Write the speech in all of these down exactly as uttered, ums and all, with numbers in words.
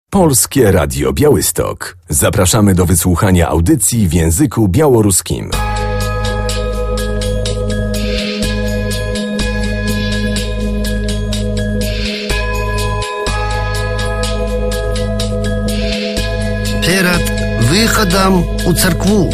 Polskie Radio Białystok. Zapraszamy do wysłuchania audycji w języku białoruskim. Перед выходом у церкву.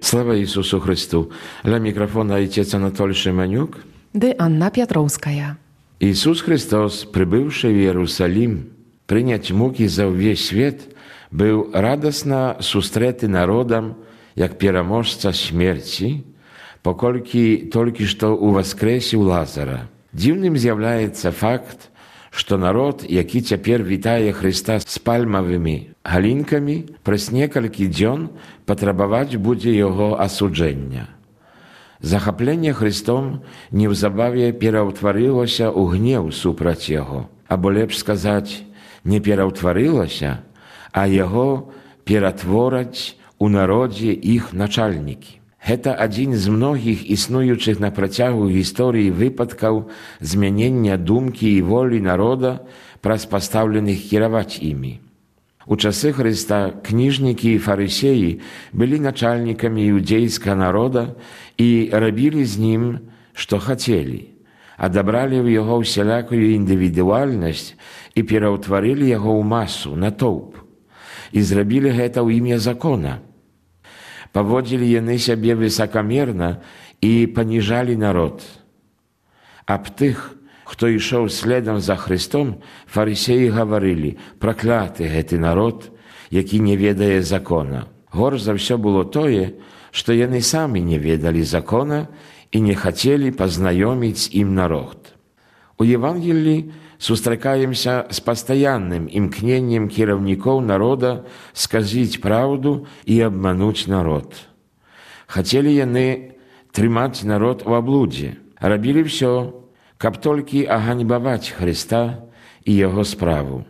Слава Иисусу Христу! Для микрофона отец Анатолий Шеманюк. Dy Anna Piotrowskaja. Иисус Христос, прибывший в Иерусалим, принять муки за весь свет, был радостно сустреты народом, як переможца смерти, покольки только что увоскресил Лазара. Дивным з'является факт, что народ, який теперь витає Христа с пальмовыми галинками, през некалькі дзён потребовать буде его осудження. Захопление Христом неўзабаве пераўтварылася ў гнев супраць яго, або лепш сказать, не пераўтварылася, а яго ператвораць у народзе іх начальнікі. Гэта адзін з многіх існуючых на працягу гісторыі выпадкаў змянення думкі і волі народа праз пастаўленых кіраваць імі. У часы Хрыста кніжнікі і фарысеі былі начальнікамі іудзейскага народа і рабілі з ім, што хацелі, адабралі ў яго ўсялякую індывідуальнасць і пераўтварылі яго ў масу, натоўп, і зрабілі гэта ў імя закона. Паводзілі яны сябе высакамерна і паніжалі народ. Аб тых, хто ішоў следам за Христом, фарысеі гаварылі: пракляты гэты народ, які не ведае закона. Горш за ўсё было тое, што яны самі не ведалі закона і не хацелі пазнаёміць ім народ. У Евангелии сустракаемся с постоянным имкнением кіраўнікоў народа сказаць правду и обмануть народ. Хотели яны трымаць народ у облуде, рабілі все, каб толькі аганьбаваць Христа и его справу.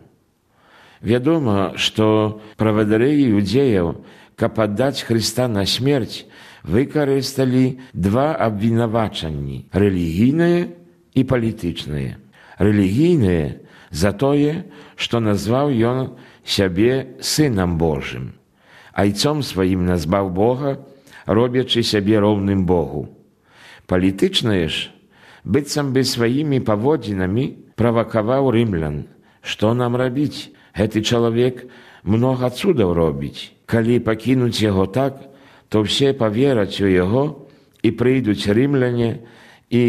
Вядома, что правадыры іудзеяў, каб аддаць Христа на смерць, выкарысталі два абвінавачанні – рэлігійнае и палітычнае. Рэлігійнае за тое, што назваў ён сябе Сынам Божым, айцом сваім назваў Бога, робячы сябе роўным Богу. Палітычнае ж, быццам бы сваімі паводзінамі правакаваў рымлян. Што нам рабіць? Гэты чалавек многа цудаў робіць. Калі пакінуць яго так, то все павераць у яго і прыйдуць рымляне і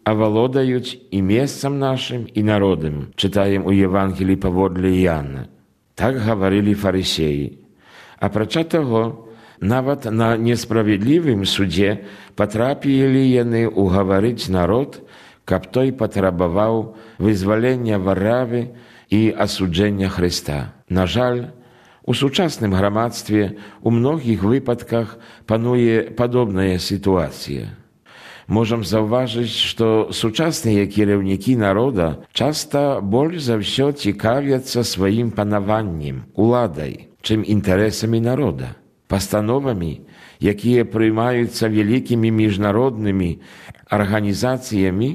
авалодаюць і месцам нашым, і народам, чытаем у Евангелии паводле Іанна. Так гаварылі фарысеі. Апрача таго, нават на несправедлівым судзе патрапілі яны угаварыць народ, каб той патрабаваў вызвалення Варавы і асуджэння Христа. На жаль, у сучасным грамадстве у многіх выпадках пануе падобная сітуацыя. Можам заўважыць, што сучасныя кіраўнікі народа часта больш за ўсё цікавяцца сваім панаваннем, уладай, чым інтарэсамі народа. Пастановамі, якія прыймаюцца вялікімі міжнароднымі арганізацыямі,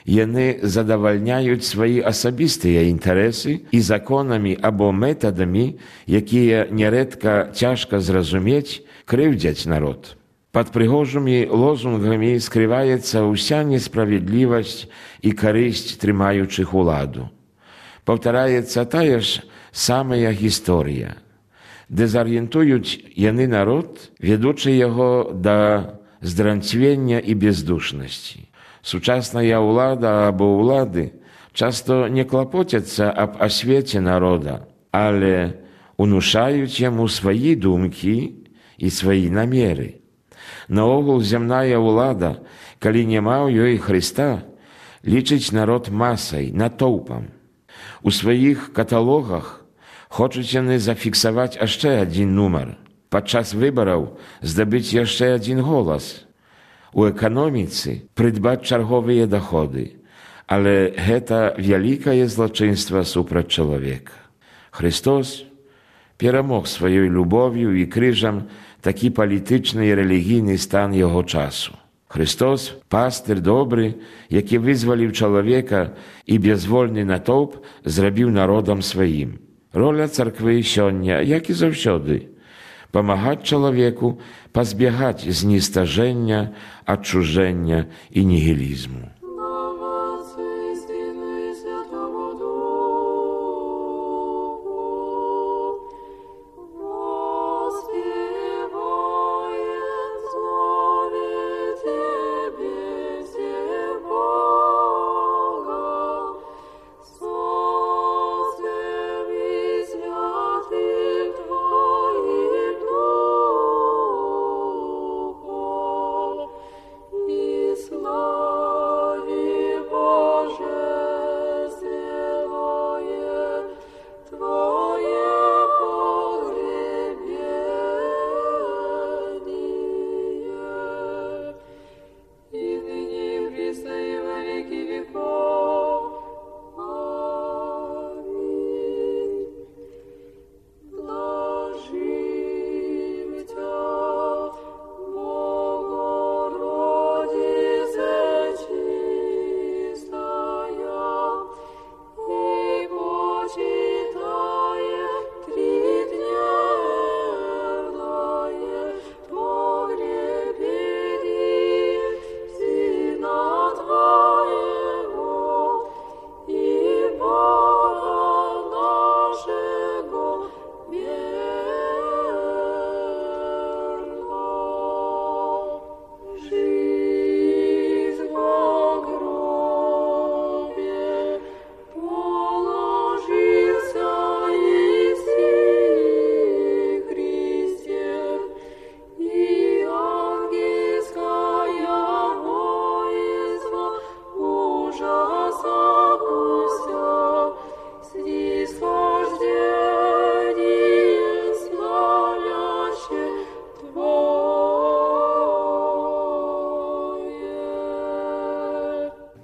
яны задавальняюць свае асабістыя інтарэсы і законамі або метадамі, якія нярэдка цяжка зразумець, крыўдзяць народ. Пад прыгожымі лозунгамі скрываецца ўся несправедлівасць і карысць трымаючых уладу. Паўтараецца тая ж самая гісторыя. Дэзарыентуюць яны народ, ведучы яго да здранцвення і бездушнасці. Сучасная ўлада або ўлады часто не клапоцяцца аб асвеце народа, але унушаюць яму свае думкі і свае намеры. Наогул зямная ўлада, калі няма ў ёй Хрыста, лічыць народ масай, натоўпам. У сваіх каталогах хочуць яны зафіксаваць яшчэ адзін нумар, падчас выбараў здабыць яшчэ адзін голас, у эканоміцы прыдбаць чарговыя даходы, але гэта вялікае злачынства супраць чалавека. Христос перамог сваёй любов'ю і крыжам такі палітычны і рэлігійны стан яго часу. Христос – пастыр добры, які вызваліў чалавека і безвольны натоўп зрабіў народам сваім. Роля царквы сёння, як і заўсёды, памагаць чалавеку пазбягаць зністажэння, адчужэння і нігілізму.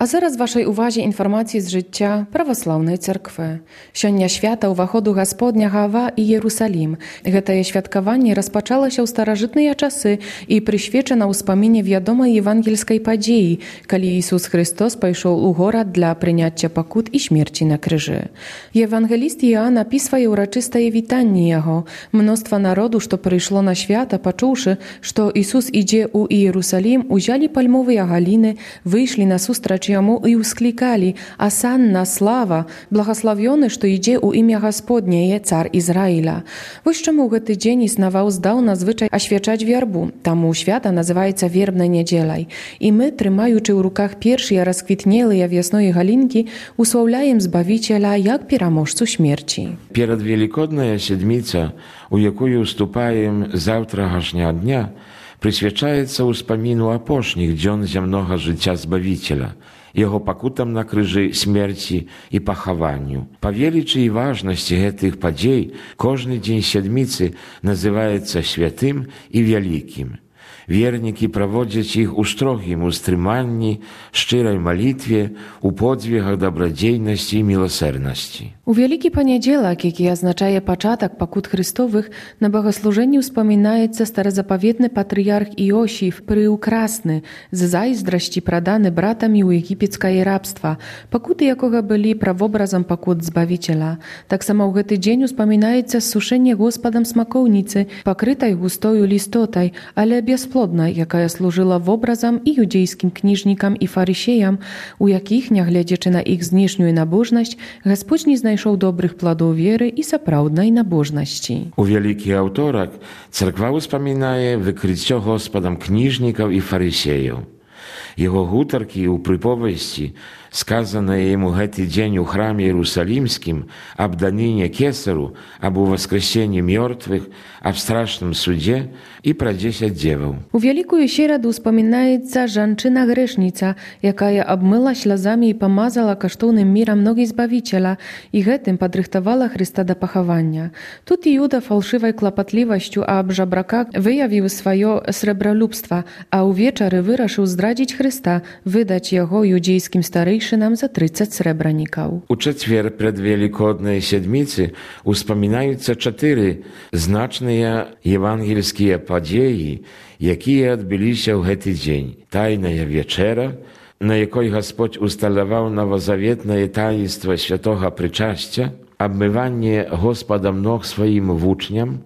А зараз вашай увазе інфармацыі з жыцця праваслаўнай царквы. Сёння свята ўваходу Гасподняга ва Іерусалім. Гэтае святкаванне распачалася ў старажытныя часы і прысвечана ўспаміне вядомай евангельскай падзеі, калі Ісус Христос пайшоў у горад для прыняцця пакут і смерці на крыжы. Евангеліст Іоанн апісвае ўрачыстае вітанне яго. Мноства народу, што прыйшло на свята, пачуўшы, што Ісус ідзе ў Іерусалім, узялі пальмовыя галіны, выйшлі насустрач яму і ўсклікалі: «Асанна, слава, благаславёны, што ідзе ў імя Гасподняе, цар Ізраіля». Вось чаму гэты дзень існаваў здаўна звычай асвячаць вербу, таму свята называецца вербнай нядзеляй. І мы, трымаючы ў руках першыя расквітнелыя вясной галінкі, услаўляем Збавіцеля як пераможцу смерці. Перад Велікодная седміца, у якую уступаем заўтрашняга дня, прысвячаецца ўспаміну апошніх дзён зямнога жыцця Збавіцеля, яго пакутам на крыжы смерці і пахаванню. Па велічы і важнасці гэтых падзей кожны дзень седміцы называецца святым і вялікім. Вернікі праводзяць іх у строгім устрыманні, шчырай малітве, у подзвігах дабрадзейнасці і міласэрнасці. У Вялікі панядзелак, які азначае пачатак пакут Христовых, на багаслужэнні ўспамінаецца старазапаветны патрыярх Іосіф Прыўкрасны, з зайздрасці праданы братамі ў егіпецкае рабства, пакуты якога былі правобразам пакут Збавіцеля. Таксама ў гэты дзень успамінаецца сушэнне Господам смакоўніцы, пакрытай густою лістотай, але без бесплодна, якая служыла вобразам і юдзейскім кніжнікам і фарысеям, у якіх, нягледзячы на іх знешнюю набожнасць, Гасподзь не знайшоў добрых пладоў веры і сапраўднай набожнасці. У вялікі аўторак царква ўспамінае выкрыццё Господам кніжнікаў і фарысеяў. Яго гутаркі ў прыповесці, сказаныя яму гэты дзень у храме Іерусалімскім аб даніне кесару, аб уваскрэсенні мёртвых, аб страшным судзе і пра дзесяць дзеваў. У вялікую сераду ўспамінаецца жанчына-грэшніца, якая абмыла слязамі і памазала каштоўным мірам ногі Збавіцеля і гэтым падрыхтавала Хрыста да пахавання. Тут Іуда фалшывай клапатлівасцю аб жабраках выявіў сваё срэбралюбства, а ўвечары вырашыў здрадзіць Хрыста, выдаць яго юдзейскім старэйшынам за трыццаць срэбранікаў. У чацвер предвелікоднай сядміцы успамінаюцца чатыры значныя евангельскія падзеі, якія адбыліся ў гэты дзень. Тайная вечэра, на якой Гасподзь усталяваў новазаветнае таінства святога прычасця, абмыванне Господам ног сваім вучням,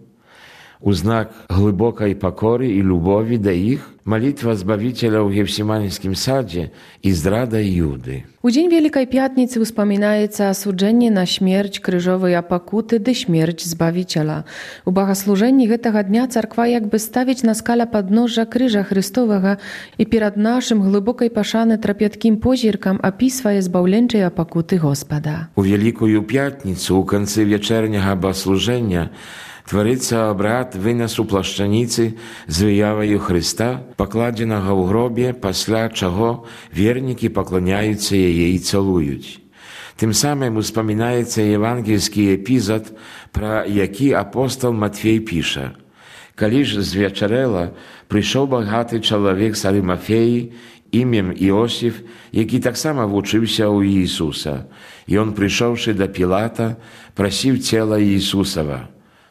у знак глыбокай пакоры і любові да іх, малітва Збавіцеля ў Гефсіманскім садзе і здрада Іуды. У дзень Вялікай Пятніцы ўспамінаецца асуджэнне на смерць, крыжовыя пакуты ды смерць Збавіцеля. У багаслужэнні гэтага дня царква як бы ставіць на скаля падножжа крыжа Хрыстовага і перад нашым глыбокай пашаны трапяткім позіркам апісвае збаўленчыя пакуты Господа. У Вялікую Пятніцу ў канцы вечерняга багаслужэння тварыцца абрад вынасу плашчаніцы з выяваю Хрыста, пакладзенага ў гробе, пасля чаго вернікі пакланяюцца яе і цалуюць. Тым самым успамінаецца евангельскі эпізад, пра які апостол Матфей піша: «Калі ж звечарэла, прыйшоў багаты чалавек з Арымафеі, імем Іосіф, які таксама вучыўся ў Іісуса. І он, прыйшоўшы да Пілата, прасіў цела Іісусава.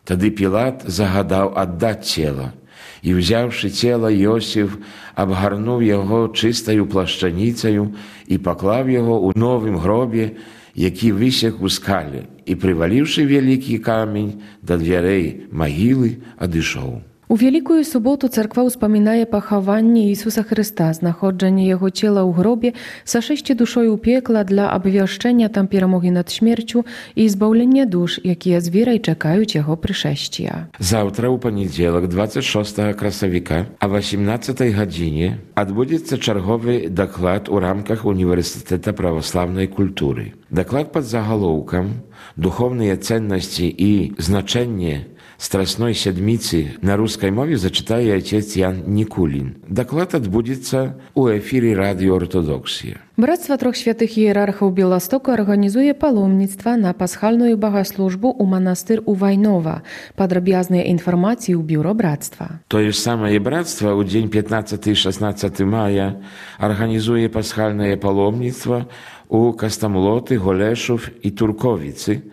Тады Пілат загадаў аддаць цела. І, взяўшы цела, Іосіф абгарнуў яго чыстаю плашчаніцаю і паклаў яго ў новым гробе, які высек у скале, і, прываліўшы вялікі камень да дзвярэй магілы, адышоў». У Вялікую суботу царква ўспамінае пахаванне Ісуса Хрыста, знаходжанне яго цела ў гробе, сашэсце душой у пекла для абвяшчэння там перамогі над смерцю і збаўлення душ, якія з верай чакаюць яго прышэсця. Заўтра, у панядзелак, дваццаць шостага красавіка, а васемнаццатай гадзіне адбудзецца чарговы даклад у рамках Універсітэта праваслаўнай культуры. Даклад пад загалоўкам «Духовныя ценнасці і значэнне Страсной сядміцы» на рускай мове зачытае отец Ян Нікулін. Даклад адбудзецца ў эфіры радыё «Ортодоксія». Брацтва трох святых іерархаў Беластоку арганізуе паломніцтва на пасхальную багаслужбу ў манастыр у Вайнова. Падрабязныя інфармацыі ў бюро брацтва. Тое ж самае брацтва ў дзень пятнаццаты і шаснаццаты мая арганізуе пасхальнае паломніцтва у Кастамлоты, Голешов і Турковіцы,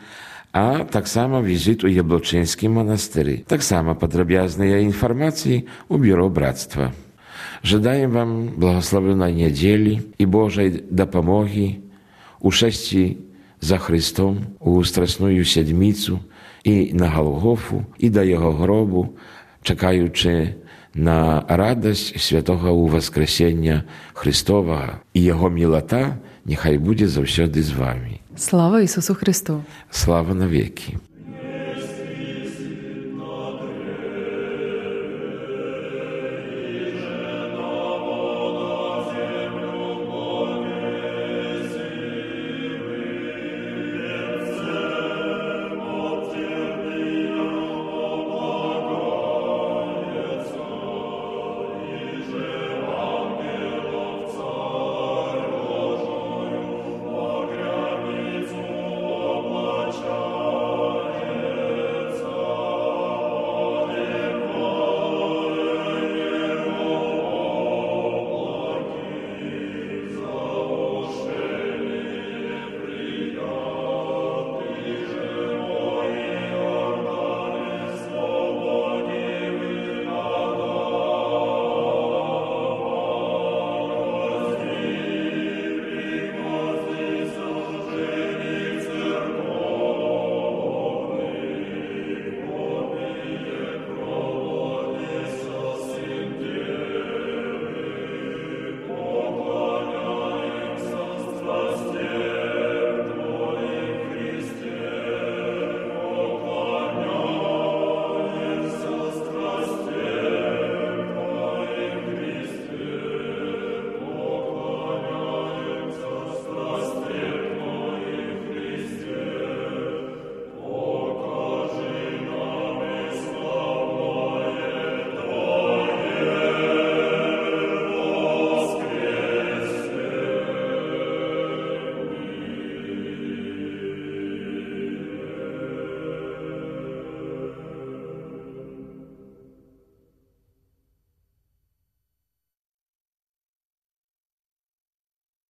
а таксама візіт у Яблочынскім манастыры. Таксама падрабязныя інфармацыі ў бюро брацтва. Жадаем вам благословенной нядзелі і Божай дапамогі у шэсці за Христом у Страсную сядміцу і на Галгофу і да яго гробу, чакаючы на радасць святога ўваскрэсення Христовага, і яго мілата няхай будзе заўсёды з вамі. Слава Ісусу Христу! Слава навеки!